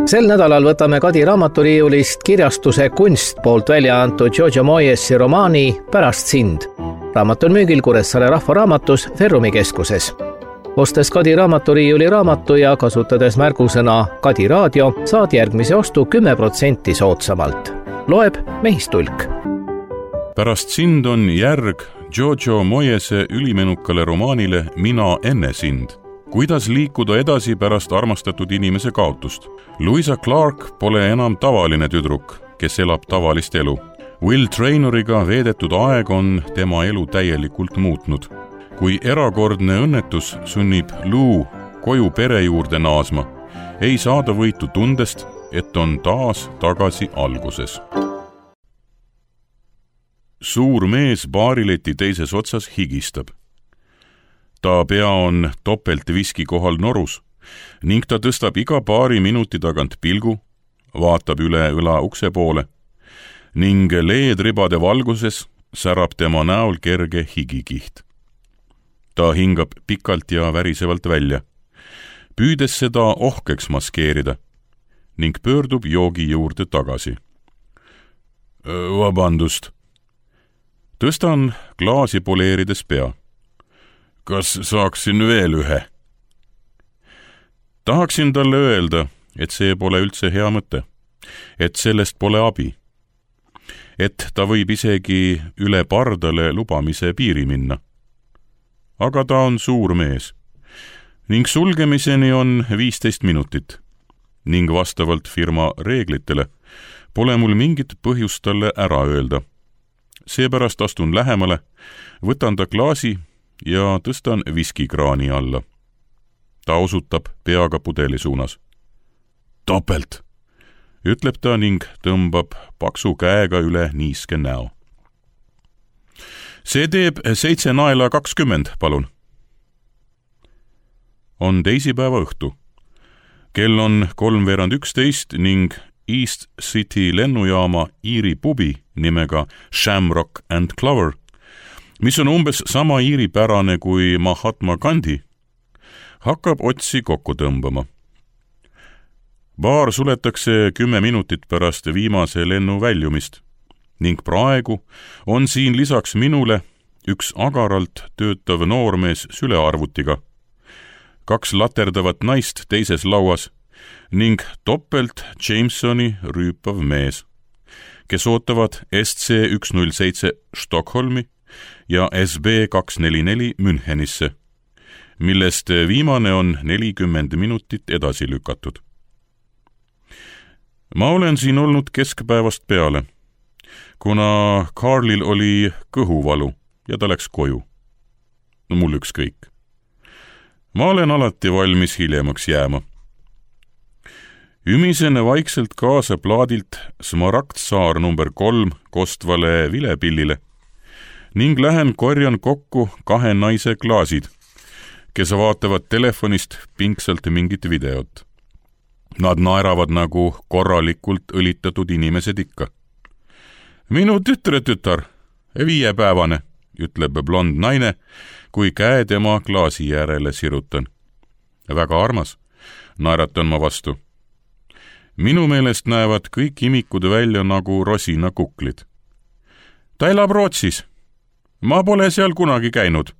Sel nädalal võtame Kadi raamaturiiulist kirjastuse Kunst poolt välja antud Giorgio Moyesi romaani Pärast sind. Raamat on müügil Kuressaare Rahvaraamatus Ferrumi keskuses. Ostes Kadi raamaturiiuli raamatu ja kasutades märgusõna Kadi raadio, saad järgmise ostu 10% soodsamalt. Loeb Mehistulk. Pärast sind on järg Giorgio Moyese ülimenukale romaanile Mina enne sind. Kuidas liikuda edasi pärast armastatud inimese kaotust? Louisa Clark pole enam tavaline tüdruk, kes elab tavalist elu. Will Trainoriga veedetud aeg on tema elu täielikult muutnud. Kui erakordne õnnetus sunnib Lou koju pere juurde naasma, ei saada võitu tundest, et on taas tagasi alguses. Suur mees baarileti teises otsas higistab. Ta pea on topelt viski kohal norus ning ta tõstab iga paari minuti tagant pilgu, vaatab üle õla ukse poole ning leedribade valguses särab tema näol kerge higikiht. Ta hingab pikalt ja värisevalt välja, püüdes seda ohkeks maskeerida ning pöördub joogi juurde tagasi. Vabandust. Tõstan klaasi poleerides pea. Kas saaksin veel ühe? Tahaksin talle öelda, et see pole üldse hea mõte, et sellest pole abi, et ta võib isegi üle pardale lubamise piiri minna. Aga ta on suur mees ning sulgemiseni on 15 minutit ning vastavalt firma reeglitele pole mul mingit põhjust talle ära öelda. Seepärast astun lähemale, võtan ta klaasi ja tõstan viskikraani alla. Ta osutab peaga pudeli suunas. Topelt, ütleb ta ning tõmbab paksu käega üle niiske näo. See teeb 7 naela 20, palun. On teisipäeva õhtu. Kell on 3:11 ning East City lennujaama Iiri pubi nimega Shamrock and Clover, mis on umbes sama iiripärane kui Mahatma Gandhi, hakkab otsi kokku tõmbama. Baar suletakse 10 minutit pärast viimase lennu väljumist ning praegu on siin lisaks minule üks agaralt töötav noormees sülearvutiga, 2 laterdavat naist teises lauas ning topelt Jamesoni rüüpav mees, kes ootavad SC107 Stockholmi ja SB244 Münchenisse, millest viimane on 40 minutit edasi lükatud. Ma olen siin olnud keskpäevast peale, kuna Carlil oli kõhuvalu ja ta läks koju. Mul ükskõik. Ma olen alati valmis hiljemaks jääma. Ümisen vaikselt kaasa plaadilt Smaragdsaar number 3 kostvale vilepillile ning lähen korjan kokku 2 naise klaasid, kes vaatavad telefonist pingsalt mingit videot. Nad naeravad nagu korralikult õlitatud inimesed ikka. Minu tütar, 5-päevane, ütleb blond naine, kui käe tema klaasi järele sirutan. Väga armas, naeratan ma vastu. Minu meelest näevad kõik imikud välja nagu rosinakuklid. Ta elab Rootsis. Ma pole seal kunagi käinud,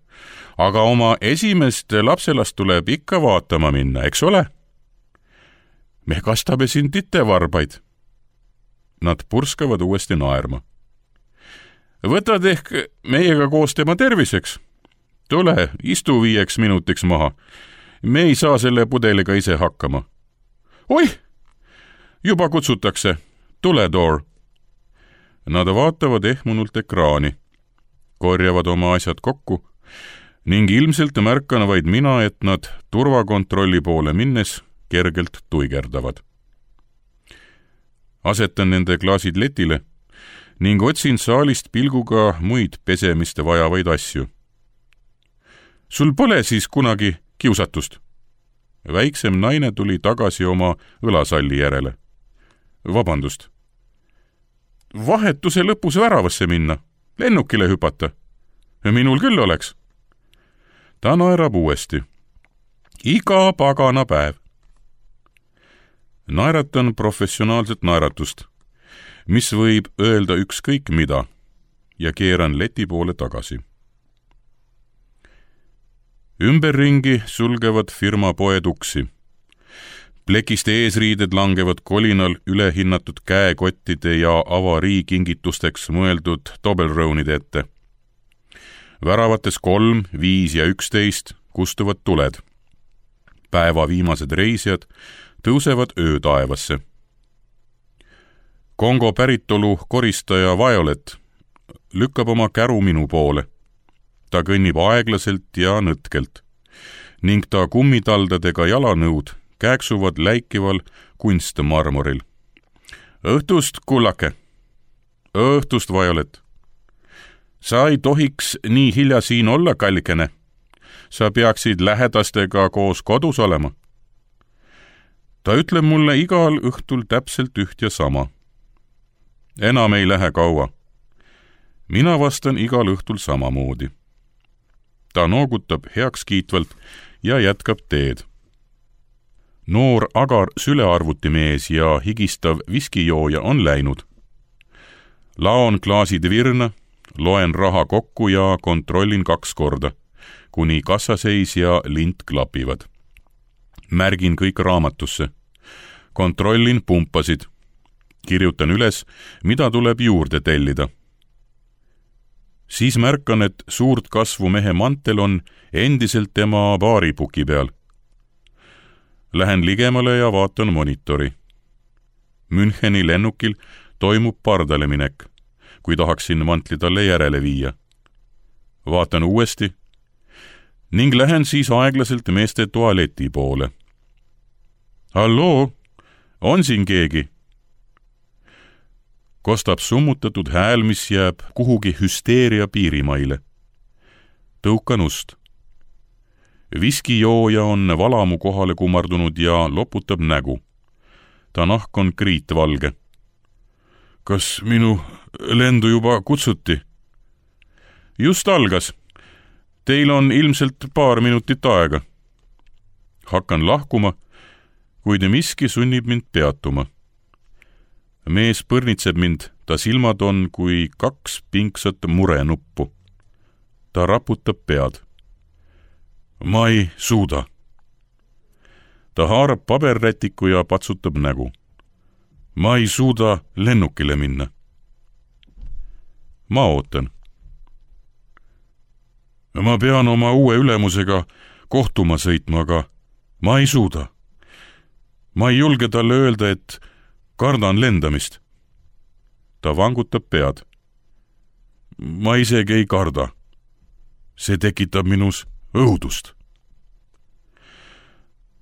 aga oma esimest lapselast tuleb ikka vaatama minna, eks ole? Me kastame siin titevarbaid. Nad purskavad uuesti naerma. Võtad ehk meiega koos tema terviseks? Tule, istu 5 minutiks maha. Me ei saa selle pudeliga ise hakkama. Oih! Juba kutsutakse. Tule, Door. Nad vaatavad ehmunult ekraani, korjavad oma asjad kokku ning ilmselt märkan vaid mina, et nad turvakontrolli poole minnes kergelt tuigerdavad. Asetan nende klaasid letile ning otsin saalist pilguga muid pesemiste vajavaid asju. Sul pole siis kunagi kiusatust? Väiksem naine tuli tagasi oma õlasalli järele. Vabandust. Vahetuse lõpus väravasse minna, lennukile hüpata. Minul küll oleks. Ta naerab uuesti. Iga pagana päev. Naeratan professionaalset naeratust, mis võib öelda ükskõik mida, ja keeran leti poole tagasi. Ümberringi sulgevad firma poed uksi. Plekiste eesriided langevad kolinal ülehinnatud käekottide ja avariikingitusteks mõeldud Toblerone'ide ette. Väravates 3, 5 ja 11 kustuvad tuled. Päeva viimased reisijad tõusevad öötaevasse. Kongo päritolu koristaja Violet lükkab oma käru minu poole. Ta kõnnib aeglaselt ja nõtkelt ning ta kummitaldadega jalanõud kääksuvad läikival kunstmarmoril. Õhtust, kullake! Õhtust, Violet! Sa ei tohiks nii hilja siin olla, kallikene. Sa peaksid lähedastega koos kodus olema. Ta ütleb mulle igal õhtul täpselt üht ja sama. Enam ei lähe kaua. Mina vastan igal õhtul samamoodi. Ta noogutab heakskiitvalt ja jätkab teed. Noor agar sülearvutimees ja higistav viskijooja on läinud. Laon klaasid virna, loen raha kokku ja kontrollin 2 korda, kuni kassaseis ja lint klapivad. Märgin kõik raamatusse. Kontrollin pumpasid. Kirjutan üles, mida tuleb juurde tellida. Siis märkan, et suurt kasvu mehe mantel on endiselt tema baaripuki peal. Lähen ligemale ja vaatan monitori. Müncheni lennukil toimub pardale minek, kui tahaksin mantli talle järele viia. Vaatan uuesti ning lähen siis aeglaselt meeste tualeti poole. Halloo, on siin keegi? Kostab summutatud hääl, mis jääb kuhugi hüsteeria piirimaile. Tõukan ust. Viskijooja on valamu kohale kumardunud ja loputab nägu. Ta nahk on kriitvalge. Kas minu lendu juba kutsuti? Just algas. Teil on ilmselt paar minutit aega. Hakkan lahkuma, kuid miski sunnib mind peatuma. Mees põrnitseb mind, ta silmad on kui 2 pingsat murenuppu. Ta raputab pead. Ma ei suuda. Ta haarab paberrätiku ja patsutab nägu. Ma ei suuda lennukile minna. Ma ootan. Ma pean oma uue ülemusega kohtuma sõitma, aga ma ei suuda. Ma ei julge talle öelda, et kardan lendamist. Ta vangutab pead. Ma isegi ei karda. See tekitab minus õudust.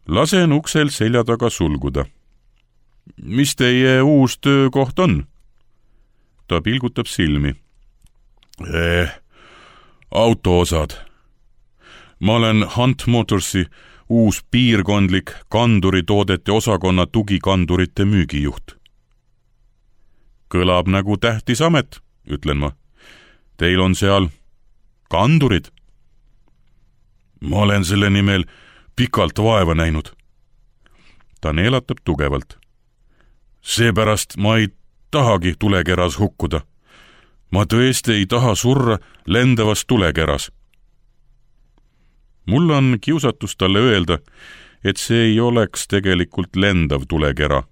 Lasen uksel selja taga sulguda. Mis teie uus töökoht on? Ta pilgutab silmi. Autoosad. Ma olen Hunt Motorsi uus piirkondlik kanduritoodete osakonna tugikandurite müügijuht. Kõlab nagu tähtis amet, ütlen ma. Teil on seal kandurid? Ma olen selle nimel pikalt vaeva näinud. Ta neelatab tugevalt. Seepärast ma ei tahagi tulekeras hukkuda. Ma tõesti ei taha surra lendavas tulekeras. Mul on kiusatus talle öelda, et see ei oleks tegelikult lendav tulekera,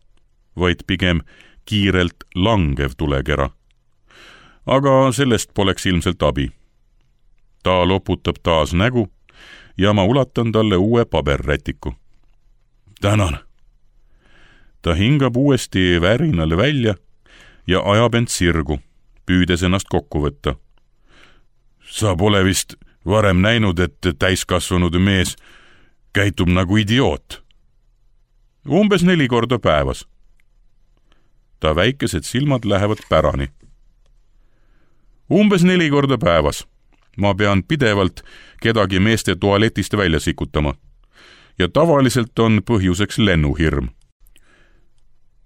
vaid pigem kiirelt langev tulekera. Aga sellest poleks ilmselt abi. Ta loputab taas nägu ja ma ulatan talle uue paberrätiku. Tänan. Ta hingab uuesti värinale välja ja ajab end sirgu, püüdes ennast kokku võtta. Sa pole vist varem näinud, et täiskasvanud mees käitub nagu idioot. Umbes 4 korda päevas. Ta väikesed silmad lähevad pärani. Umbes 4 korda päevas. Ma pean pidevalt kedagi meeste tualetist välja sikutama. Ja tavaliselt on põhjuseks lennuhirm.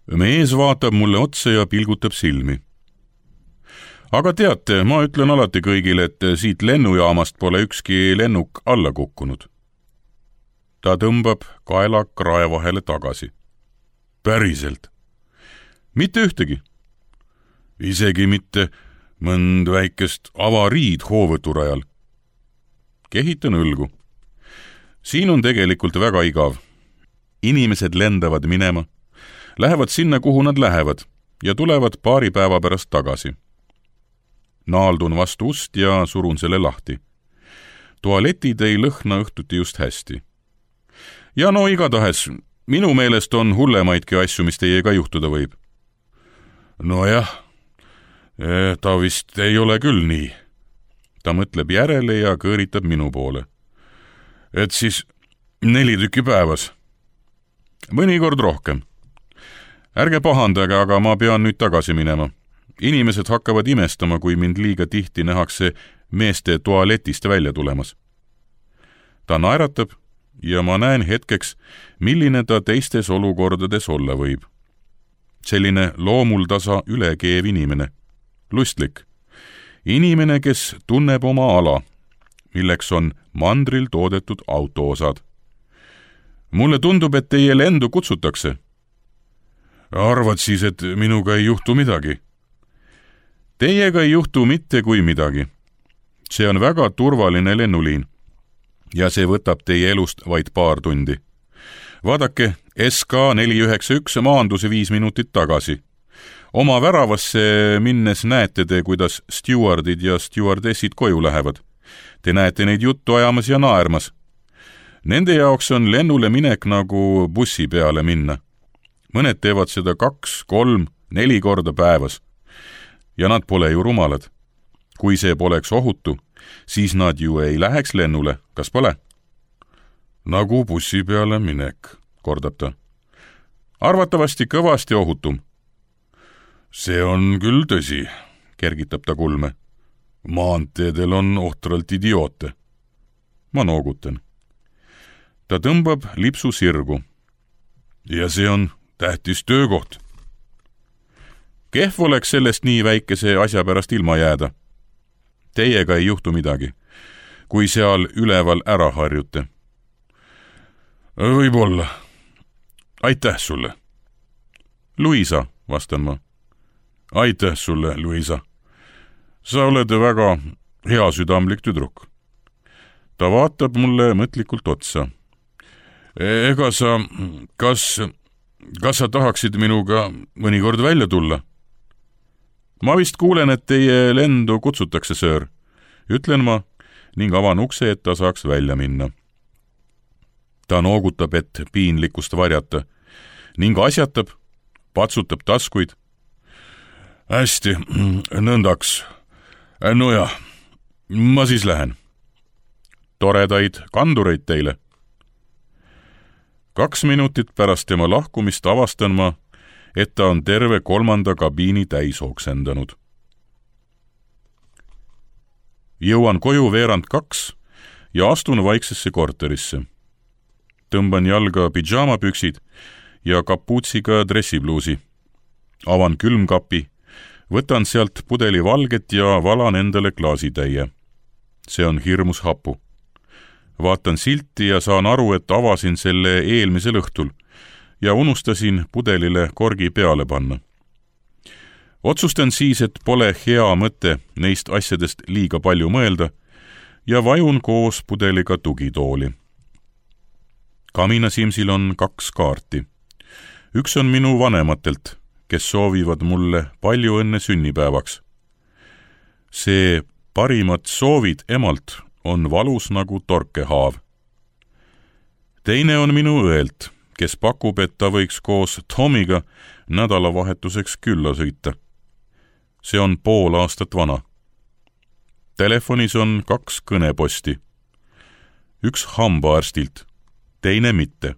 Mees vaatab mulle otsa ja pilgutab silmi. Aga teate, ma ütlen alati kõigile, et siit lennujaamast pole ükski lennuk alla kukkunud. Ta tõmbab kaela krae vahele tagasi. päriselt? Mitte ühtegi. Isegi mitte mõnd väikest avariid hoovõturajal. Kehitan õlgu. Siin on tegelikult väga igav. Inimesed lendavad minema, lähevad sinna, kuhu nad lähevad ja tulevad paari päeva pärast tagasi. Naaldun vastu ust ja surun selle lahti. Tualetid ei lõhna õhtuti just hästi. Ja no igatahes, minu meelest on hullemaidki asju, mis teiega juhtuda võib. Nojah, ta vist ei ole küll nii. Ta mõtleb järele ja kõõritab minu poole. Et siis 4 tükki päevas. Mõnikord rohkem. Ärge pahandage, aga ma pean nüüd tagasi minema. Inimesed hakkavad imestama, kui mind liiga tihti nähakse meeste tualetist välja tulemas. Ta naeratab ja ma näen hetkeks, milline ta teistes olukordades olla võib. Selline loomuldasa ülekeev inimene. Lustlik. Inimene, kes tunneb oma ala, milleks on mandril toodetud autoosad. Mulle tundub, et teie lendu kutsutakse. Arvad siis, et minuga ei juhtu midagi? Teiega ei juhtu mitte kui midagi. See on väga turvaline lennuliin ja see võtab teie elust vaid paar tundi. Vaadake, SK491 maanduse 5 minutit tagasi. Oma väravasse minnes näete te, kuidas stewardid ja stewardessid koju lähevad. Te näete neid juttu ajamas ja naermas. Nende jaoks on lennule minek nagu bussi peale minna. Mõned teevad seda 2, 3, 4 korda päevas. Ja nad pole ju rumalad. Kui see poleks ohutu, siis nad ju ei läheks lennule, kas pole? Nagu bussi peale minek, kordab ta. Arvatavasti kõvasti ohutum. See on küll tõsi, kergitab ta kulme. Maanteedel on ohtralt idioote. Ma noogutan. Ta tõmbab lipsu sirgu. Ja see on tähtis töökoht. Kehv oleks sellest nii väikese asja pärast ilma jääda. Teiega ei juhtu midagi, kui seal üleval ära harjute. Võib-olla. Aitäh sulle. Luisa, vastan ma. Aitäh sulle, Luisa. Sa oled väga hea südamlik tüdruk. Ta vaatab mulle mõtlikult otsa. Ega sa, kas sa tahaksid minuga mõnikord välja tulla? Ma vist kuulen, et teie lendu kutsutakse, söör. Ütlen ma ning avan ukse, et ta saaks välja minna. Ta noogutab, et piinlikkust varjata ning asjatab, patsutab taskuid. Hästi, nõndaks. Nojah, ma siis lähen. Toredaid kandureid teile. 2 minutit pärast tema lahkumist avastan ma, et ta on terve 3. kabiini täis oksendanud. Jõuan koju 1:45 ja astun vaiksesse korterisse. Tõmban jalga pidžaamapüksid ja kapuutsiga dressipluusi. Avan külmkapi, võtan sealt pudeli valget ja valan endale klaasitäie. See on hirmus hapu. Vaatan silti ja saan aru, et avasin selle eelmisel õhtul ja unustasin pudelile korgi peale panna. Otsustan siis, et pole hea mõte neist asjadest liiga palju mõelda ja vajun koos pudeliga tugitooli. Kaminasimsil on 2 kaarti. Üks on minu vanematelt, kes soovivad mulle palju õnne sünnipäevaks. See parimad soovid emalt on valus nagu torkehaav. Teine on minu õelt, kes pakub, et ta võiks koos Tomiga nädalavahetuseks külla sõita. See on pool aastat vana. Telefonis on 2 kõneposti. Üks hambaarstilt, teine mitte.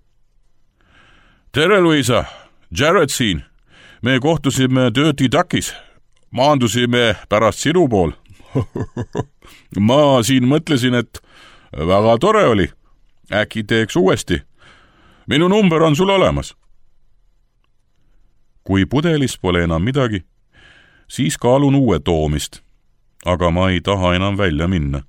Tere, Luisa! Jared siin! Me kohtusime Dirty Duckis. Maandusime pärast sinu pool. Ma siin mõtlesin, et väga tore oli. Äkki teeks uuesti. Minu number on sul olemas. Kui pudelis pole enam midagi, siis kaalun uue toomist, aga ma ei taha enam välja minna.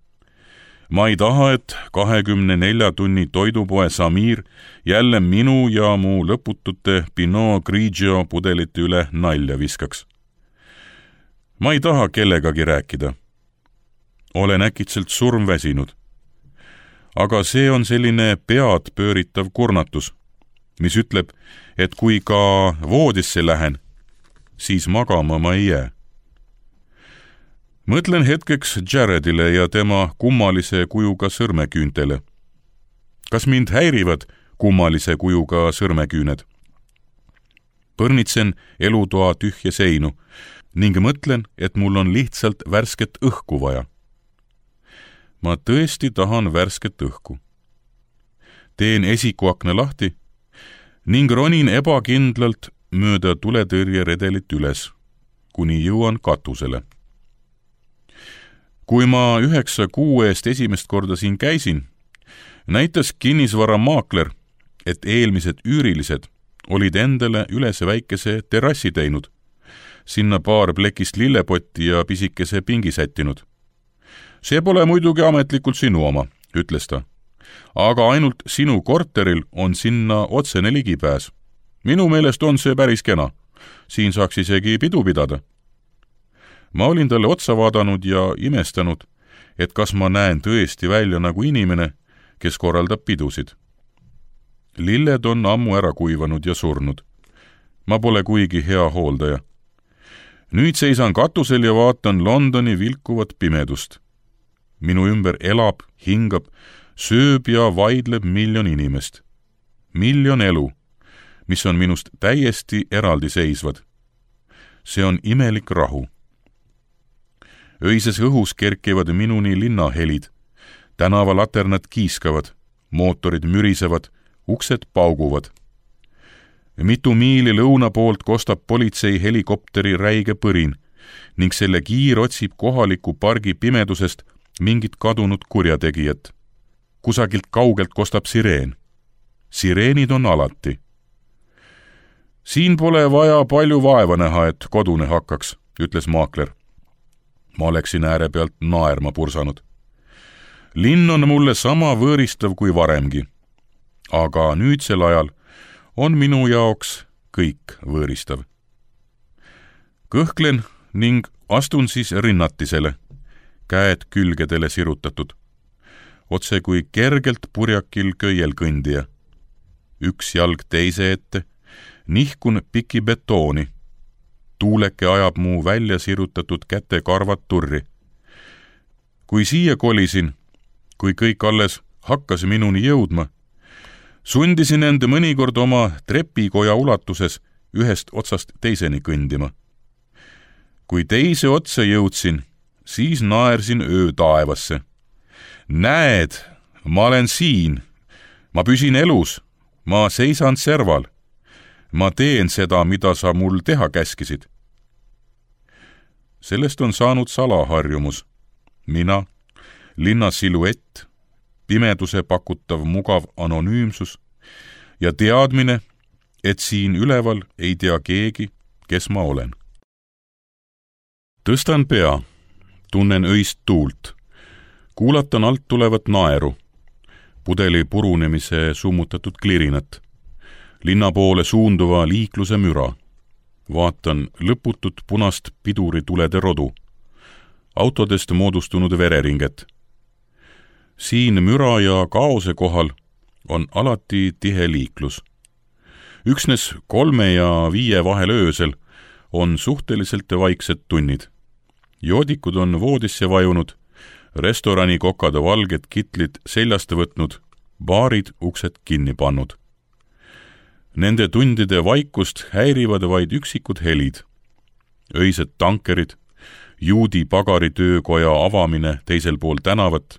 Ma ei taha, et 24 tunni toidupoe Samir jälle minu ja mu lõputute Pinot Grigio pudelite üle nalja viskaks. Ma ei taha kellegagi rääkida. Olen äkitselt surmväsinud. Aga see on selline pead pööritav kurnatus, mis ütleb, et kui ka voodisse lähen, siis magama ma ei jää. Mõtlen hetkeks Jaredile ja tema kummalise kujuga sõrmeküüntele. Kas mind häirivad kummalise kujuga sõrmeküüned? Põrnitsen elutoa tühje seinu ning mõtlen, et mul on lihtsalt värsket õhku vaja. Ma tõesti tahan värsket õhku. Teen esikuakna lahti ning ronin ebakindlalt mööda tuletõrjeredelit üles, kuni jõuan katusele. Kui ma 9 kuu eest esimest korda siin käisin, näitas kinnisvaramaakler, et eelmised üürilised olid endale üles väikese terrassi teinud, sinna paar plekist lillepotti ja pisikese pingi sättinud. See pole muidugi ametlikult sinu oma, ütles ta, aga ainult sinu korteril on sinna otsene ligipääs. Minu meelest on see päris kena. Siin saaks isegi pidu pidada. Ma olin talle otsa vaadanud ja imestanud, et kas ma näen tõesti välja nagu inimene, kes korraldab pidusid. Lilled on ammu ära kuivanud ja surnud. Ma pole kuigi hea hooldaja. Nüüd seisan katusel ja vaatan Londoni vilkuvat pimedust. Minu ümber elab, hingab, sööb ja vaidleb miljon inimest. Miljon elu, mis on minust täiesti eraldiseisvad. See on imelik rahu. Öises õhus kerkivad minuni linnahelid. Tänavalaternad kiiskavad, mootorid mürisevad, uksed pauguvad. Mitu miili lõuna poolt kostab politsei helikopteri räige põrin ning selle kiir otsib kohaliku pargi pimedusest mingit kadunud kurjategijat. Kusagilt kaugelt kostab sireen. Sireenid on alati. Siin pole vaja palju vaeva näha, et kodune hakkaks, ütles maakler. Ma oleksin ääre pealt naerma pursanud. Linn on mulle sama võõristav kui varemgi, aga nüüdsel ajal on minu jaoks kõik võõristav. Kõhklen ning astun siis rinnatisele, käed külgedele sirutatud, otse kui kergelt purjakil köiel kõndija. Üks jalg teise ette, nihkun piki betooni. Tuuleke ajab mu välja sirutatud käte karvad turri. Kui siia kolisin, kui kõik alles hakkas minuni jõudma, sundisin end mõnikord oma trepikoja ulatuses ühest otsast teiseni kõndima. Kui teise otsa jõudsin, siis naersin öö taevasse. Näed, ma olen siin, ma püsin elus, ma seisan serval. Ma teen seda, mida sa mul teha käskisid. Sellest on saanud salaharjumus. Mina, linna siluett, pimeduse pakutav mugav anonüümsus ja teadmine, et siin üleval ei tea keegi, kes ma olen. Tõstan pea, tunnen öist tuult, kuulatan alt tulevat naeru, pudeli purunemise summutatud klirinat, linna poole suunduva liikluse müra. Vaatan lõputut punast piduritulede rodu, autodest moodustunud vereringet. Siin müra ja kaose kohal on alati tihe liiklus. Üksnes 3 ja 5 vahel öösel on suhteliselt vaiksed tunnid. Joodikud on voodisse vajunud, restorani kokad valged kitlid seljast võtnud, baarid uksed kinni pannud. Nende tundide vaikust häirivad vaid üksikud helid. Öised tankerid, juudi pagaritöökoja avamine teisel pool tänavat,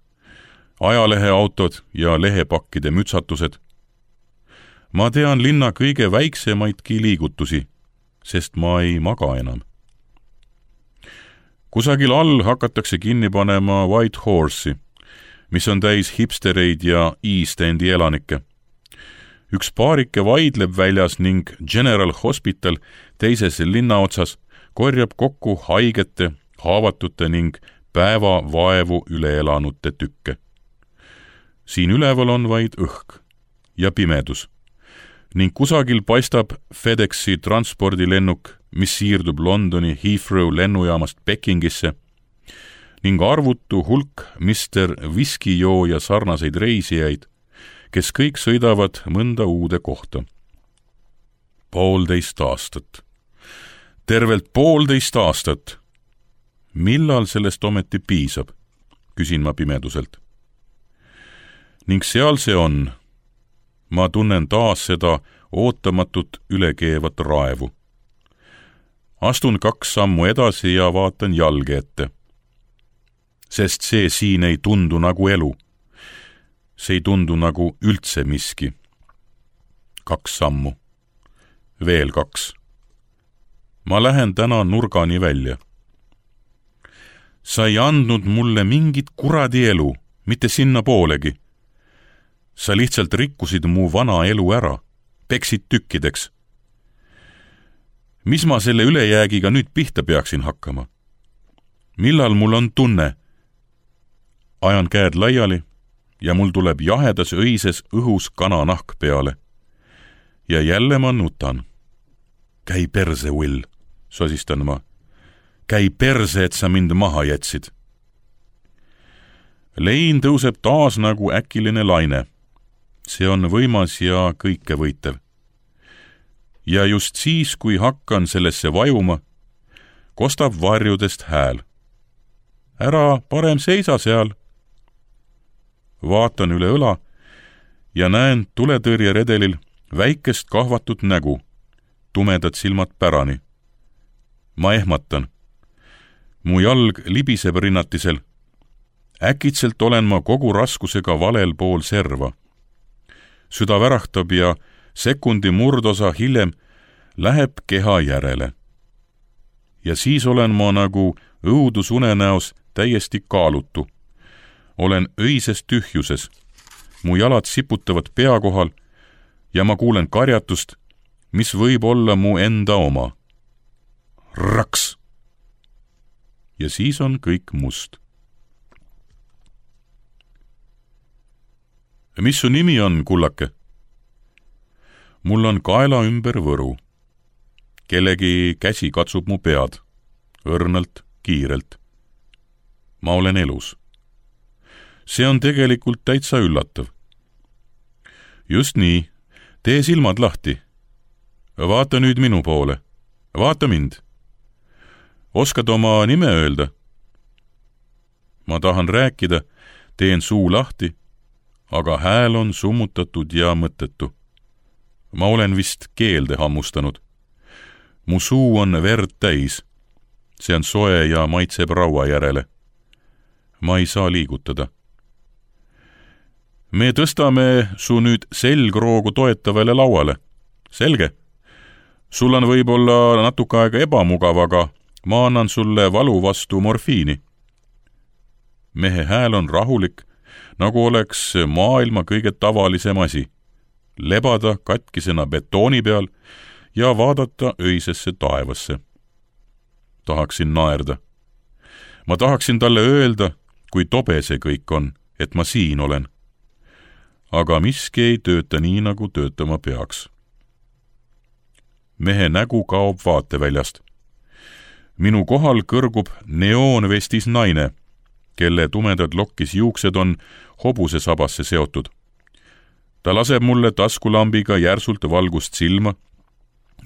ajaleheautod ja lehepakkide mütsatused. Ma tean linna kõige väiksemaidki liigutusi, sest ma ei maga enam. Kusagil all hakatakse kinni panema White Horse'i, mis on täis hipstereid ja East Endi elanikke. Üks paarike vaidleb väljas ning General Hospital teises linnaotsas korjab kokku haigete, haavatute ning päeva vaevu üle elanute tükke. siin üleval on vaid õhk ja pimedus ning kusagil paistab FedExi transpordilennuk, mis siirdub Londoni Heathrow lennujaamast Pekingisse ning arvutu hulk Mr. Viskijooja sarnaseid reisijaid, kes kõik sõidavad mõnda uude kohta. 1,5 aastat. Tervelt 1,5 aastat. Millal sellest ometi piisab, küsin ma pimeduselt. Ning seal see on. Ma tunnen taas seda ootamatut ülekeevat raevu. Astun 2 sammu edasi ja vaatan jalge ette. Sest see siin ei tundu nagu elu. See ei tundu nagu üldse miski. 2 sammu. Veel 2. Ma lähen täna nurgani välja. Sa ei andnud mulle mingit kuradi elu, mitte sinna poolegi. Sa lihtsalt rikkusid mu vana elu ära, peksid tükkideks. Mis ma selle ülejäägiga nüüd pihta peaksin hakkama? Millal mul on tunne? Ajan käed laiali ja mul tuleb jahedas õises õhus kananahk peale. Ja jälle ma nutan. Käi perse, Will, sosistan ma. Käi perse, et sa mind maha jätsid. Lein tõuseb taas nagu äkiline laine. See on võimas ja kõikevõitev. Ja just siis, kui hakkan sellesse vajuma, kostab varjudest hääl. Ära parem seisa seal. Vaatan üle õla ja näen tuletõrjeredelil väikest kahvatut nägu, tumedad silmad pärani. Ma ehmatan. Mu jalg libiseb rinnatisel. Äkitselt olen ma kogu raskusega valel pool serva. Süda värahtab ja sekundi murdosa hiljem läheb keha järele. Ja siis olen ma nagu õudusunenäos täiesti kaalutu. Olen öises tühjuses. Mu jalad siputavad pea kohal ja ma kuulen karjatust, mis võib olla mu enda oma. Raks! Ja siis on kõik must. Mis su nimi on, kullake? Mul on kaela ümber võru. Kellegi käsi katsub mu pead. Õrnalt, kiirelt. Ma olen elus. See on tegelikult täitsa üllatav. Just nii. Tee silmad lahti. Vaata nüüd minu poole. Vaata mind. Oskad oma nime öelda? Ma tahan rääkida, teen suu lahti, aga hääl on summutatud ja mõttetu. Ma olen vist keelde hammustanud. Mu suu on verd täis. See on soe ja maitseb raua järele. Ma ei saa liigutada. Me tõstame su nüüd selgroogu toetavale lauale. Selge. Sul on võib-olla natuke aega ebamugav, aga ma annan sulle valu vastu morfiini. Mehe hääl on rahulik, nagu oleks maailma kõige tavalisem asi. Lebada katkisena betooni peal ja vaadata öisesse taevasse. Tahaksin naerda. Ma tahaksin talle öelda, kui tobe see kõik on, et ma siin olen. Aga miski ei tööta nii, nagu töötama peaks. Mehe nägu kaob vaateväljast. Minu kohal kõrgub neoonvestis naine, kelle tumedad lokkis juuksed on hobuse sabasse seotud. Ta laseb mulle taskulambiga järsult valgust silma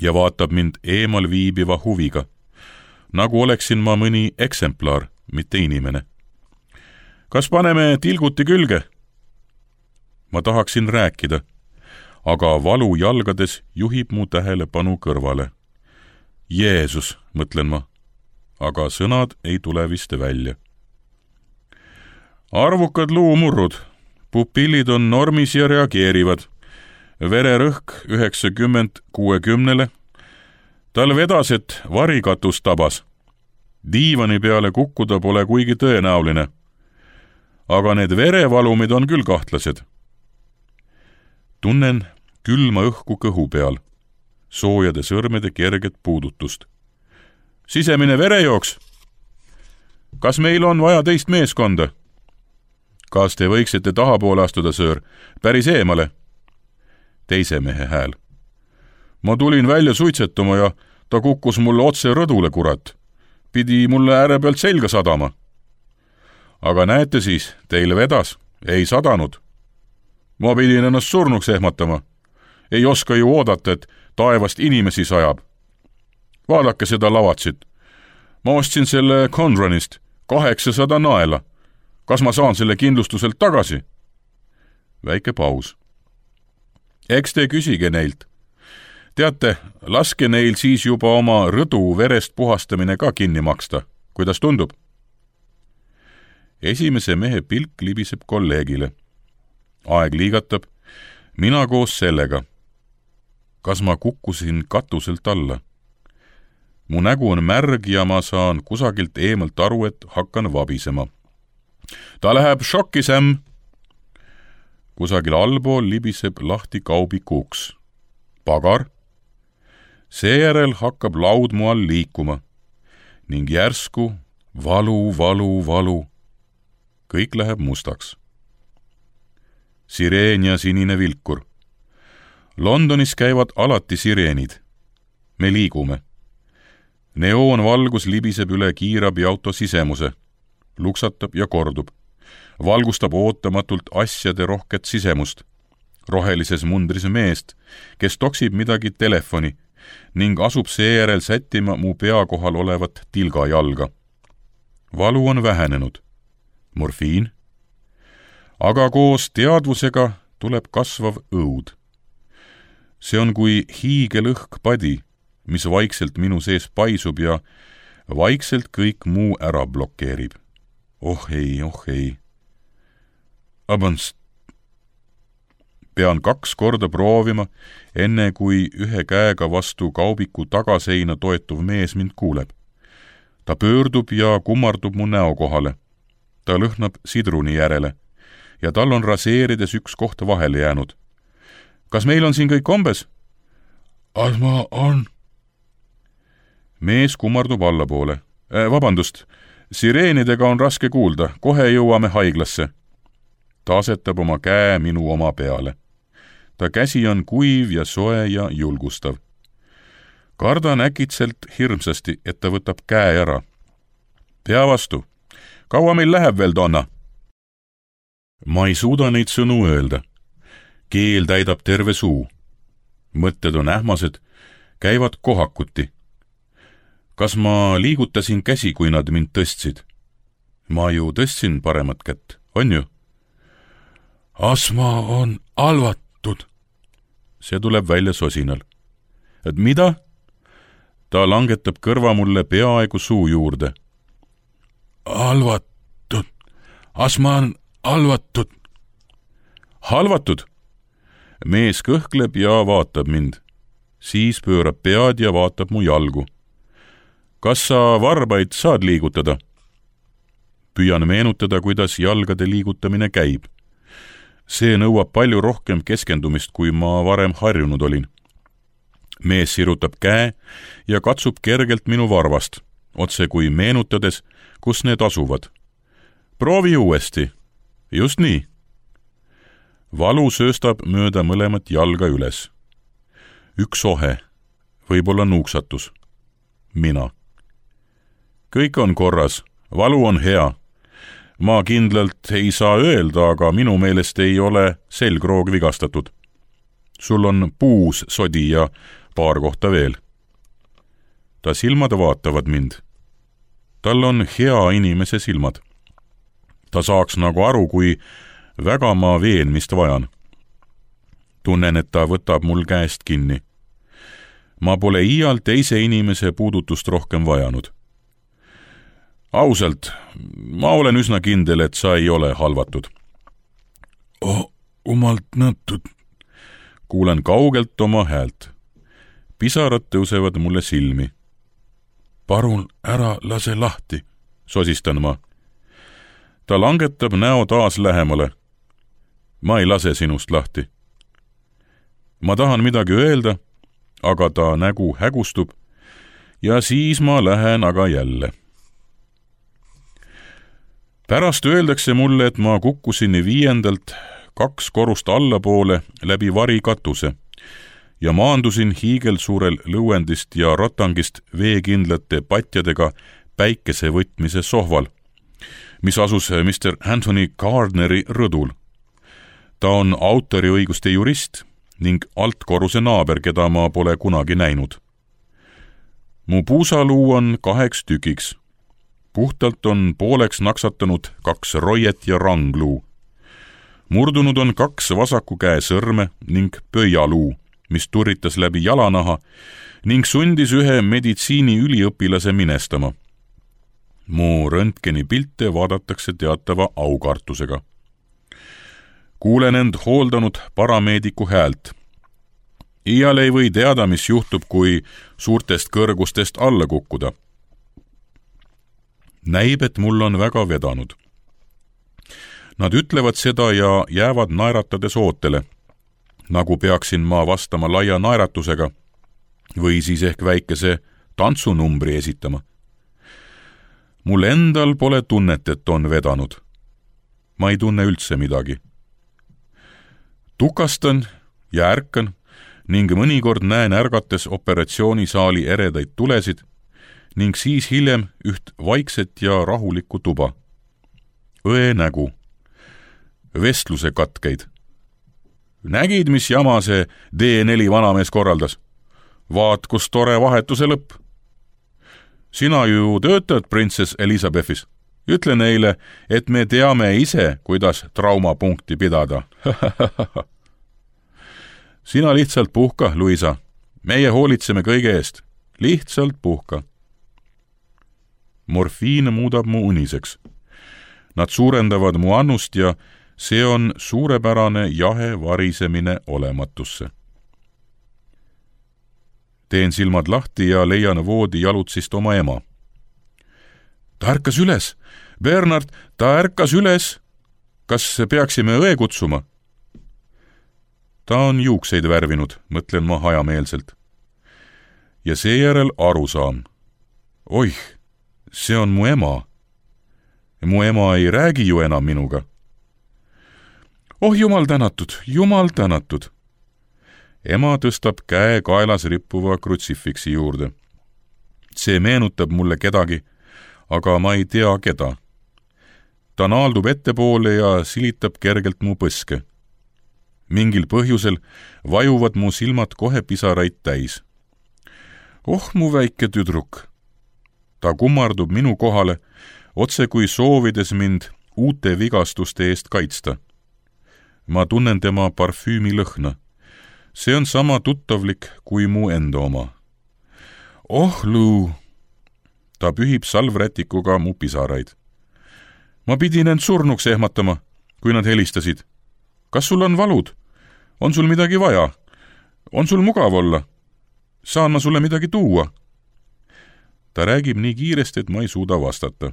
ja vaatab mind eemal viibiva huviga, nagu oleksin ma mõni eksemplar, mitte inimene. Kas paneme tilguti külge? Ma tahaksin rääkida, aga valu jalgades juhib mu tähelepanu kõrvale. Jeesus, mõtlen ma, aga sõnad ei tule vist välja. Arvukad luumurrud, pupillid on normis ja reageerivad. Vererõhk 90-60. Tal vedas, et varikatus tabas. Diivani peale kukkuda pole kuigi tõenäoline. Aga need verevalumid on küll kahtlased. Tunnen külma õhku kõhu peal, soojade sõrmede kerget puudutust. Sisemine verejooks. Kas meil on vaja teist meeskonda? Kas te võiksite tahapoole astuda, söör? Päris eemale. Teise mehe hääl. Ma tulin välja suitsetama ja ta kukkus mulle otse rõdule, kurat. Pidi mulle ääre pealt selga sadama. Aga näete siis, teil vedas, ei sadanud. Ma pidin ennast surnuks ehmatama. Ei oska ju oodata, et taevast inimesi sajab. Vaadake seda lavatsit. Ma ostsin selle Conranist 800 naela. Kas ma saan selle kindlustuselt tagasi? Väike paus. Eks te küsige neilt. Teate, laske neil siis juba oma rõdu verest puhastamine ka kinni maksta. Kuidas tundub? Esimese mehe pilk libiseb kolleegile. Aeg liigatab. Mina koos sellega. Kas ma kukkusin katuselt alla? Mu nägu on märg ja ma saan kusagilt eemalt aru, et hakkan vabisema. Ta läheb šokki, Sam. Kusagil allpool libiseb lahti kaubiku uks. Pagar. Seejärel hakkab laud mu all liikuma ning järsku valu. Kõik läheb mustaks. Sireen ja sinine vilkur. Londonis käivad alati sireenid. Me liigume. Neoonvalgus libiseb üle kiirabiauto sisemuse. Luksatab ja kordub. Valgustab ootamatult asjade rohket sisemust. Rohelises mundris meest, kes toksib midagi telefoni ning asub seejärel sättima mu pea kohal olevat tilgajalga. Valu on vähenenud. Morfiin. Aga koos teadvusega tuleb kasvav õud. See on kui hiigelõhk padi, mis vaikselt minu sees paisub ja vaikselt kõik muu ära blokeerib. Oh ei. Abans. Pean 2 korda proovima, enne kui ühe käega vastu kaubiku tagaseina toetuv mees mind kuuleb. Ta pöördub ja kummardub mu näo kohale. Ta lõhnab sidruni järele ja tal on raseerides üks koht vahele jäänud. Kas meil on siin kõik kombes? Asma on. Mees kummardub allapoole. Vabandust, sireenidega on raske kuulda, kohe jõuame haiglasse. Ta asetab oma käe minu oma peale. Ta käsi on kuiv ja soe ja julgustav. Kardan äkitselt hirmsasti, et ta võtab käe ära. Pea vastu. Kaua meil läheb veel, Donna? Ma ei suuda neid sõnu öelda. Keel täidab terve suu. Mõtted on ähmased, käivad kohakuti. Kas ma liigutasin käsi, kui nad mind tõstsid? Ma ju tõstsin paremat kätt, on ju? Asma on halvatud. See tuleb välja sosinal. Et mida? Ta langetab kõrva mulle peaaegu suu juurde. Halvatud. Asma on halvatud. Halvatud? Mees kõhkleb ja vaatab mind. Siis pöörab pead ja vaatab mu jalgu. Kas sa varbaid saad liigutada? Püüan meenutada, kuidas jalgade liigutamine käib. See nõuab palju rohkem keskendumist, kui ma varem harjunud olin. Mees sirutab käe ja katsub kergelt minu varvast, otse kui meenutades, kus need asuvad. Proovi uuesti. Just nii. Valu sööstab mööda mõlemat jalga üles. Üks ohe, võib-olla nuuksatus. Mina. Kõik on korras, valu on hea. Ma kindlalt ei saa öelda, aga minu meelest ei ole selgroog vigastatud. Sul on puus sodi ja paar kohta veel. Ta silmad vaatavad mind. Tal on hea inimese silmad. Ta saaks nagu aru, kui väga ma veenmist vajan. Tunnen, et ta võtab mul käest kinni. Ma pole iial teise inimese puudutust rohkem vajanud. Ausalt, ma olen üsna kindel, et sa ei ole halvatud. Umalt nõttud. Kuulen kaugelt oma häält. Pisarad tõusevad mulle silmi. Parun ära lase lahti, sosistan ma. Ta langetab näo taas lähemale. Ma ei lase sinust lahti. Ma tahan midagi öelda, aga ta nägu hägustub ja siis ma lähen aga jälle. Pärast öeldakse mulle, et ma kukkusin 5. 2 korrust allapoole läbi varikatuse ja maandusin hiigelsuurel lõuendist ja ratangist veekindlate patjadega päikesevõtmise sohval, mis asus Mr. Anthony Gardneri rõdul. Ta on autoriõiguste jurist ning altkorruse naaber, keda ma pole kunagi näinud. Mu puusaluu on 2 tükiks. Puhtalt on pooleks naksatanud 2 roiet ja rangluu. Murdunud on 2 vasaku käe sõrme ning pöialuu, mis turritas läbi jalanaha ning sundis ühe meditsiiniüliõpilase minestama. Mu röntgeni pilte vaadatakse teatava aukartusega. Kuulen end hooldanud parameediku häält. Iial ei või teada, mis juhtub, kui suurtest kõrgustest alla kukkuda. Näib, et mul on väga vedanud. Nad ütlevad seda ja jäävad naeratades ootele, nagu peaksin ma vastama laia naeratusega või siis ehk väikese tantsunumbri esitama. Mul endal pole tunnet, et on vedanud. Ma ei tunne üldse midagi. Tukastan ja ärkan ning mõnikord näen ärgates operatsioonisaali eredaid tulesid ning siis hiljem üht vaikset ja rahulikku tuba. Õe nägu. Vestluse katkeid. Nägid, mis jama see D4 vanamees korraldas? Vaat, kus tore vahetuse lõpp. Sina ju töötad printsess Elizabethis. Ütle neile, et me teame ise, kuidas traumapunkti pidada. Sina lihtsalt puhka, Luisa. Meie hoolitseme kõige eest. Lihtsalt puhka. Morfiin muudab mu uniseks. Nad suurendavad mu annust ja see on suurepärane jahe varisemine olematusse. Teen silmad lahti ja leian voodi jalutsist oma ema. Ta ärkas üles. Bernard, ta ärkas üles. Kas peaksime õe kutsuma? Ta on juukseid värvinud, mõtlen ma hajameelselt. Ja seejärel aru saan. Oih, see on mu ema. Mu ema ei räägi ju enam minuga. Oh, jumal tänatud, jumal tänatud. Ema tõstab käe kaelas rippuva krutsifiksi juurde. See meenutab mulle kedagi, aga ma ei tea keda. Ta naaldub ettepoole ja silitab kergelt mu põske. Mingil põhjusel vajuvad mu silmad kohe pisaraid täis. Oh, mu väike tüdruk. Ta kummardub minu kohale, otse kui soovides mind uute vigastuste eest kaitsta. Ma tunnen tema parfüümi lõhna. See on sama tuttavlik kui mu enda oma. Oh, Lou! Ta pühib salvrätikuga mu pisaraid. Ma pidin end surnuks ehmatama, kui nad helistasid. Kas sul on valud? On sul midagi vaja? On sul mugav olla? Saan ma sulle midagi tuua? Ta räägib nii kiiresti, et ma ei suuda vastata.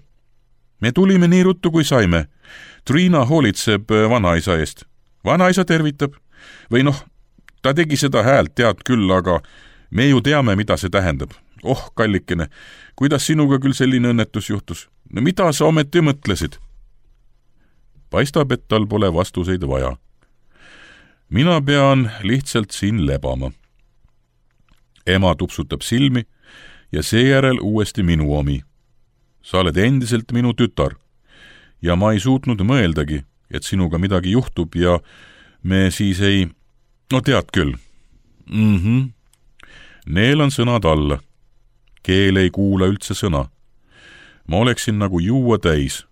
Me tulime nii ruttu, kui saime. Triina hoolitseb vanaisa eest. Vanaisa tervitab. Või noh, ta tegi seda häält, tead küll, aga me ju teame, mida see tähendab. Oh, kallikene, kuidas sinuga küll selline õnnetus juhtus? No mida sa ometi mõtlesid? Paistab, et tal pole vastuseid vaja. Mina pean lihtsalt siin lebama. Ema tupsutab silmi ja seejärel uuesti minu omi. Sa oled endiselt minu tütar ja ma ei suutnud mõeldagi, et sinuga midagi juhtub ja me siis ei... No tead küll. Neelan sõnad alla. Keel ei kuula üldse sõna. Ma oleksin nagu juua täis.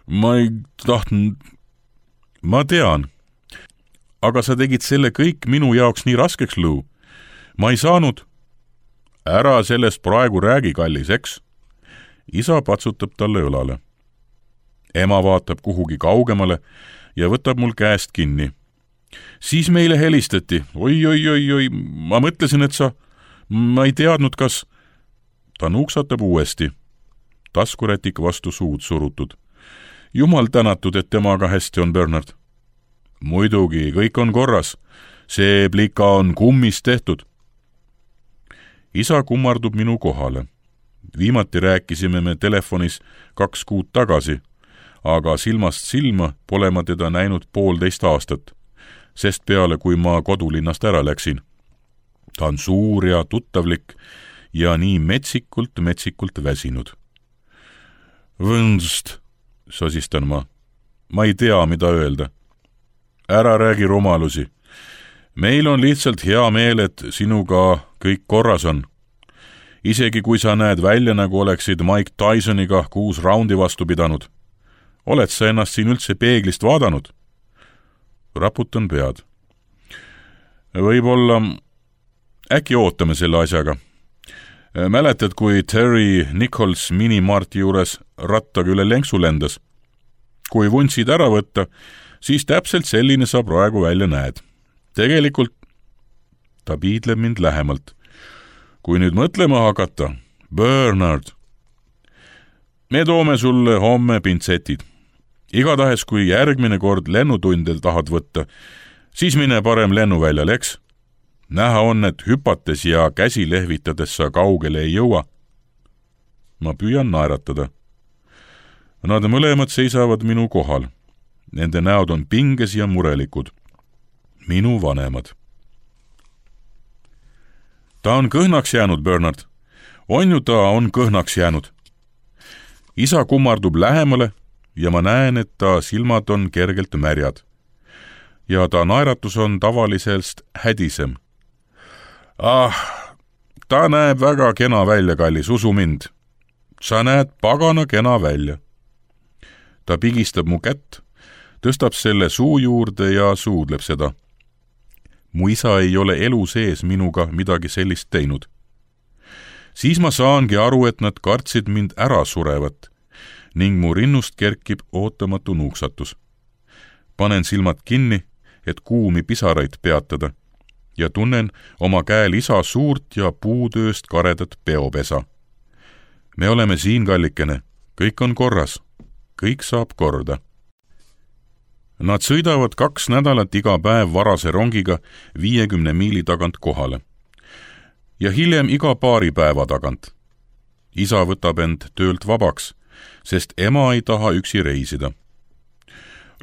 Ma ei tahtnud... Ma tean. Aga sa tegid selle kõik minu jaoks nii raskeks, Lou. Ma ei saanud... Ära sellest praegu räägi, kallis, eks? Isa patsutab talle õlale. Ema vaatab kuhugi kaugemale ja võtab mul käest kinni. Siis meile helistati. Oi, ma mõtlesin, et sa... Ma ei teadnud, kas... Ta nuuksatab uuesti. Taskurätik vastu suud surutud. Jumal tänatud, et temaga hästi on, Bernard. Muidugi, kõik on korras. See plika on kummist tehtud. Isa kummardub minu kohale. Viimati rääkisime me telefonis 2 kuud tagasi. aga silmast silma pole ma teda näinud 1,5 aastat, sest peale, kui ma kodulinnast ära läksin. Ta on suur ja tuttavlik ja nii metsikult väsinud. Võnst, sosistan ma. Ma ei tea, mida öelda. Ära räägi rumalusi. Meil on lihtsalt hea meel, et sinuga kõik korras on. Isegi kui sa näed välja, nagu oleksid Mike Tysoniga 6 raundi vastu pidanud. Oled sa ennast siin üldse peeglist vaadanud? Raputan pead. Võib-olla äkki ootame selle asjaga. Mäletad, kui Terry Nichols minimarti juures rattaga üle lenksu lendas? Kui vuntsid ära võtta, siis täpselt selline sa praegu välja näed. Tegelikult ta piidleb mind lähemalt. Kui nüüd mõtlema hakata, Bernard, me toome sulle homme pintsetid. Igatahes, kui järgmine kord lennutundel tahad võtta, siis mine parem lennuväljal, eks? Näha on, et hüpates ja käsi lehvitades sa kaugele ei jõua. Ma püüan naeratada. Nad mõlemad seisavad minu kohal. Nende näod on pinges ja murelikud. Minu vanemad. Ta on kõhnaks jäänud, Bernard. On ju ta on kõhnaks jäänud. Isa kummardub lähemale ja ma näen, et ta silmad on kergelt märjad. Ja ta naeratus on tavalisest hädisem. Ta näeb väga kena välja, kallis, usu mind. Sa näed pagana kena välja. Ta pigistab mu kätt, tõstab selle suu juurde ja suudleb seda. Mu isa ei ole elu sees minuga midagi sellist teinud. Siis ma saangi aru, et nad kartsid mind ära surevat ning mu rinnust kerkib ootamatu nuuksatus. Panen silmad kinni, et kuumi pisaraid peatada ja tunnen oma käel isa suurt ja puutööst karedat peopesa. Me oleme siin, kallikene, kõik on korras, kõik saab korda. Nad sõidavad 2 nädalat iga päev varase rongiga 50 miili tagant kohale ja hiljem iga paari päeva tagant. Isa võtab end töölt vabaks, sest ema ei taha üksi reisida.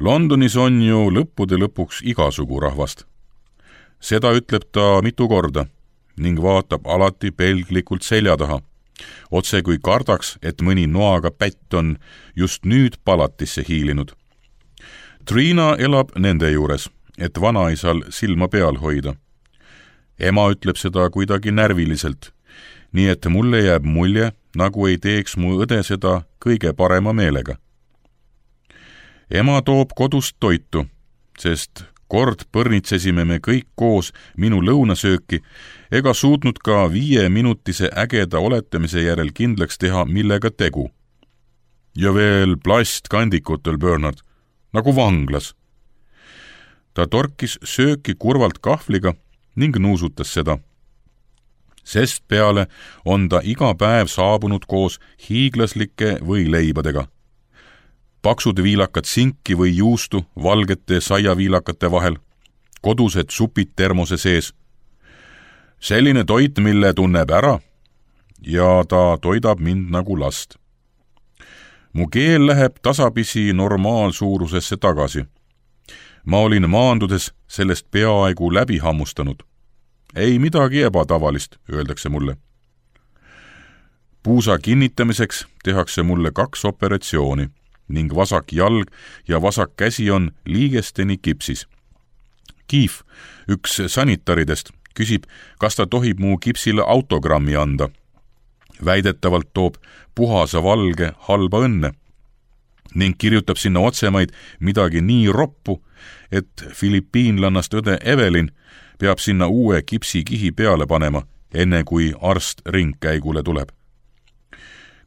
Londonis on ju lõppude lõpuks igasugu rahvast. Seda ütleb ta mitu korda ning vaatab alati pelglikult selja taha, otse kui kardaks, et mõni noaga pätt on just nüüd palatisse hiilinud. Trina elab nende juures, et vanaisal silma peal hoida. Ema ütleb seda kuidagi närviliselt, nii et mulle jääb mulje, nagu ei teeks mu õde seda kõige parema meelega. Ema toob kodust toitu, sest kord põrnitsesime me kõik koos minu lõunasööki ega suutnud ka 5-minutise ägeda oletamise järel kindlaks teha, millega tegu. Ja veel plastkandikutel, Bernard, nagu vanglas. Ta torkis sööki kurvalt kahvliga ning nuusutas seda. Sest peale on ta iga päev saabunud koos hiiglaslike võileibadega. Paksud viilakad sinki või juustu valgete saiaviilakate vahel, kodused supid termose sees. Selline toit, mille tunneb ära ja ta toidab mind nagu last. Mu keel läheb tasapisi normaalsuurusesse tagasi. Ma olin maandudes sellest peaaegu läbi hammustanud. Ei midagi ebatavalist, öeldakse mulle. Puusa kinnitamiseks tehakse mulle 2 operatsiooni ning vasak jalg ja vasak käsi on liigesteni kipsis. Keith, üks sanitaridest, küsib, kas ta tohib mu kipsile autogrammi anda. Väidetavalt toob puhasa valge halba õnne ning kirjutab sinna otsemaid midagi nii roppu, et filipiinlannast õde Evelyn peab sinna uue kipsikihi peale panema, enne kui arst ringkäigule tuleb.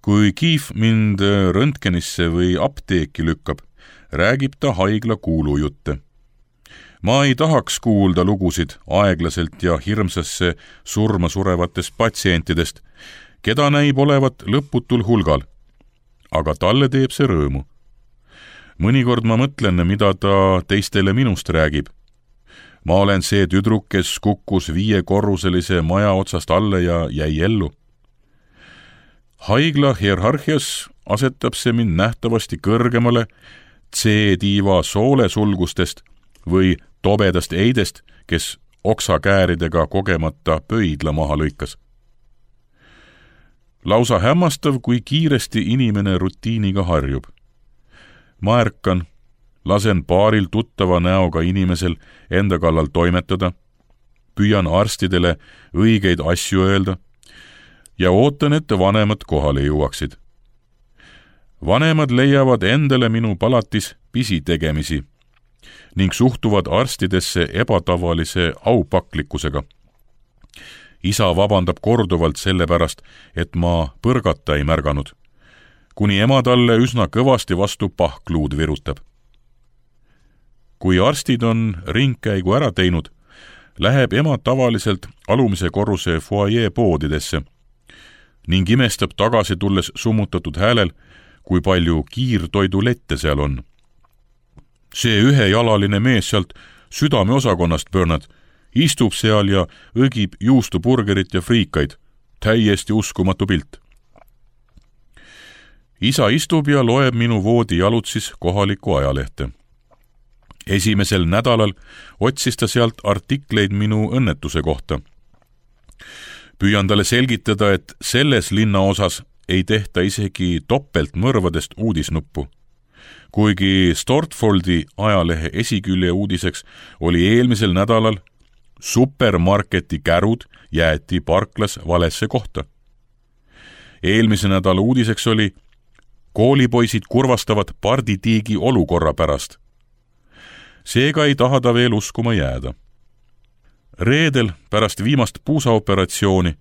Kui Keith mind röntgenisse või apteeki lükkab, räägib ta haigla kuulujutte. Ma ei tahaks kuulda lugusid aeglaselt ja hirmsasse surma surevatest patsientidest, keda näib olevat lõputul hulgal, aga talle teeb see rõõmu. Mõnikord ma mõtlen, mida ta teistele minust räägib. Ma olen see tüdruk, kes kukkus 5-korruselise maja otsast alla ja jäi ellu. Haigla hierarhias asetab see mind nähtavasti kõrgemale C-tiiva soolesulgustest või tobedast eidest, kes oksakääridega kogemata pöidla maha lõikas. Lausa hämmastav, kui kiiresti inimene rutiiniga harjub. Ma ärkan, lasen paaril tuttava näoga inimesel enda kallal toimetada, püüan arstidele õigeid asju öelda ja ootan, et vanemad kohale jõuaksid. Vanemad leiavad endale minu palatis pisitegemisi ning suhtuvad arstidesse ebatavalise aupaklikkusega. Isa vabandab korduvalt selle pärast, et ma põrgata ei märganud, kuni ema talle üsna kõvasti vastu pahkluud virutab. Kui arstid on ringkäigu ära teinud, läheb ema tavaliselt alumise korruse foyer poodidesse ning imestab tagasi tulles summutatud häälel, kui palju kiirtoidulette seal on. See ühejalaline mees sealt südameosakonnast, Bernard, istub seal ja õgib juustuburgerit ja friikaid. Täiesti uskumatu pilt. Isa istub ja loeb minu voodi jalutsis kohalikku ajalehte. Esimesel nädalal otsis ta sealt artikleid minu õnnetuse kohta. Püüan talle selgitada, et selles linnaosas ei tehta isegi topeltmõrvadest uudisnuppu. Kuigi Stortfoldi ajalehe esikülje uudiseks oli eelmisel nädalal supermarketi kärud jäeti parklas valesse kohta. Eelmise nädala uudiseks oli koolipoisid kurvastavad parditiigi olukorra pärast. Seega ei taha ta veel uskuma jääda. Reedel pärast viimast puusaoperatsiooni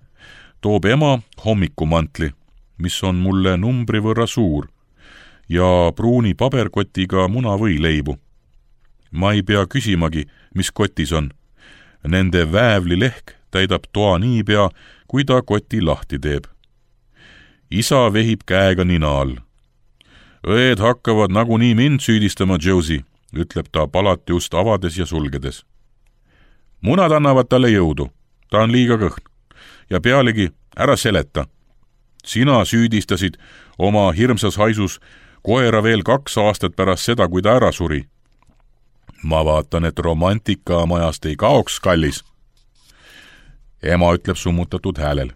toob ema hommikumantli, mis on mulle numbri võrra suur, ja pruuni paberkotiga munavõileibu. Ma ei pea küsimagi, mis kotis on. Nende väävlilehk täidab toa niipea, kui ta koti lahti teeb. Isa vehib käega nina all. Õed hakkavad nagunii mind süüdistama, Josie, ütleb ta palati ust avades ja sulgedes. Munad annavad talle jõudu, ta on liiga kõhn. Ja pealegi, ära seleta. Sina süüdistasid oma hirmsas haisus koera veel 2 aastat pärast seda, kui ta ära suri. Ma vaatan, et romantika majast ei kaoks, kallis. Ema ütleb summutatud häälel.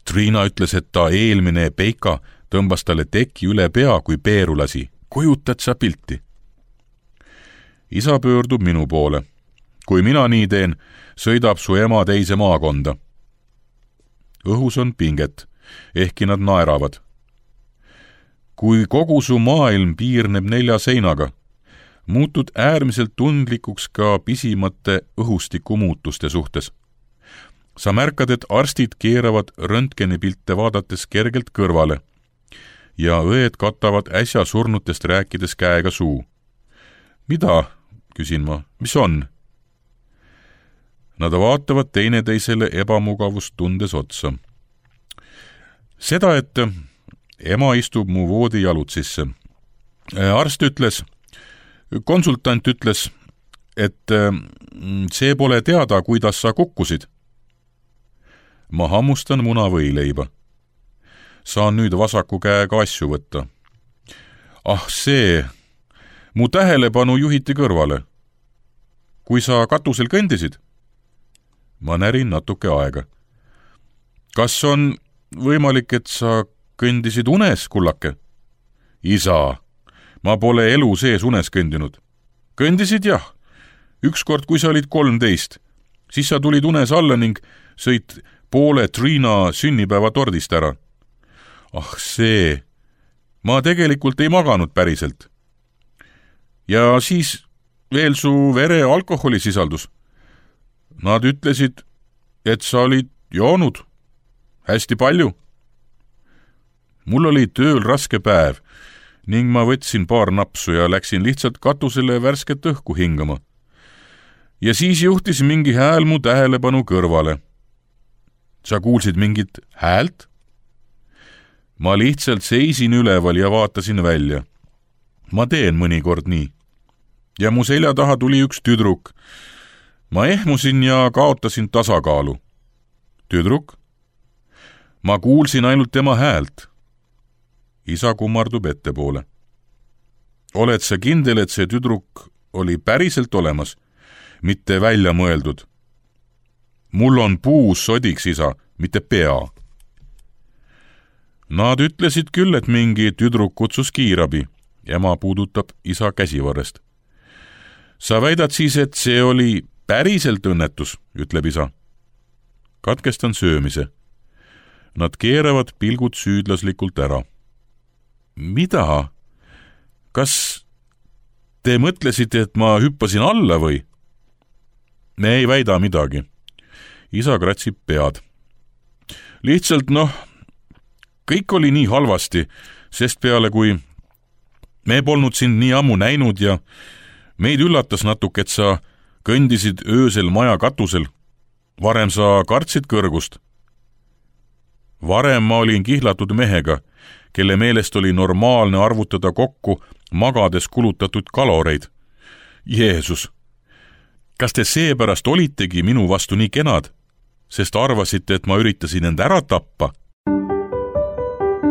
Trina ütles, et ta eelmine Peika tõmbas talle teki üle pea, kui peeru lasi. Kujutad sa pilti? Isa pöördub minu poole. Kui mina nii teen, sõidab su ema teise maakonda. Õhus on pinget, ehkki nad naeravad. Kui kogu su maailm piirneb 4 seinaga, muutud äärmiselt tundlikuks ka pisimate õhustiku muutuste suhtes. Sa märkad, et arstid keeravad röntgenipilte vaadates kergelt kõrvale ja õed katavad äsja surnutest rääkides käega suu. Mida? Küsin ma. Mis on? Nad vaatavad teineteisele ebamugavust tundes otsa. Seda, et ema istub mu voodi jalutsisse. Arst ütles, konsultant ütles, et see pole teada, kuidas sa kukkusid. Ma hammustan munavõileiba. Saan nüüd vasaku käega asju võtta. Ah, see, mu tähelepanu juhiti kõrvale. Kui sa katusel kõndisid? Ma närin natuke aega. Kas on võimalik, et sa kõndisid unes, kullake? Isa, ma pole elu sees unes kõndinud. Kõndisid jah. Ükskord, kui sa olid 13, siis sa tulid unes alla ning sõid poole Trina sünnipäeva tordist ära. Ah see, ma tegelikult ei maganud päriselt. Ja siis veel su vere alkoholisisaldus. Nad ütlesid, et sa olid joonud hästi palju. Mul oli tööl raske päev ning ma võtsin paar napsu ja läksin lihtsalt katusele värsket õhku hingama. Ja siis juhtis mingi hääl mu tähelepanu kõrvale. Sa kuulsid mingit häält? Ma lihtsalt seisin üleval ja vaatasin välja. Ma teen mõnikord nii. Ja mu selja taha tuli üks tüdruk. Ma ehmusin ja kaotasin tasakaalu. Tüdruk? Ma kuulsin ainult tema häält. isa kummardub ettepoole. Oled sa kindel, et see tüdruk oli päriselt olemas, mitte välja mõeldud? Mul on puu sodiks, isa, mitte pea. Nad ütlesid küll, et mingi tüdruk kutsus kiirabi. Ema puudutab isa käsivarrest. Sa väidad siis, et see oli päriselt õnnetus, ütleb isa. Katkestan söömise. Nad keeravad pilgud süüdlaslikult ära. Mida? Kas te mõtlesite, et ma hüppasin alla või? Me ei väida midagi. Isa kratsib pead. Lihtsalt kõik oli nii halvasti, sest peale kui me polnud sind nii ammu näinud ja meid üllatas natuke, et sa kõndisid öösel maja katusel. Varem sa kartsid kõrgust. Varem ma olin kihlatud mehega, kelle meelest oli normaalne arvutada kokku magades kulutatud kaloreid. Jeesus, kas te seepärast olitegi minu vastu nii kenad, sest arvasite, et ma üritasin end ära tappa?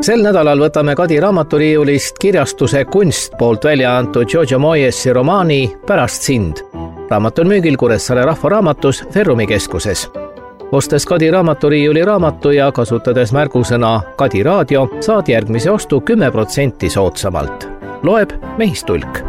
Sel nädalal võtame Kadi raamaturiiulist kirjastuse Kunst poolt välja antud Giorgio Moyesi romaani Pärast sind. Raamat on müügil Kuressaare Rahvaraamatus Ferrumi keskuses. Ostes Kadi raamaturiiuli raamatu ja kasutades märgusõna Kadi raadio, saad järgmise ostu 10% soodsamalt. Loeb Mehistulk.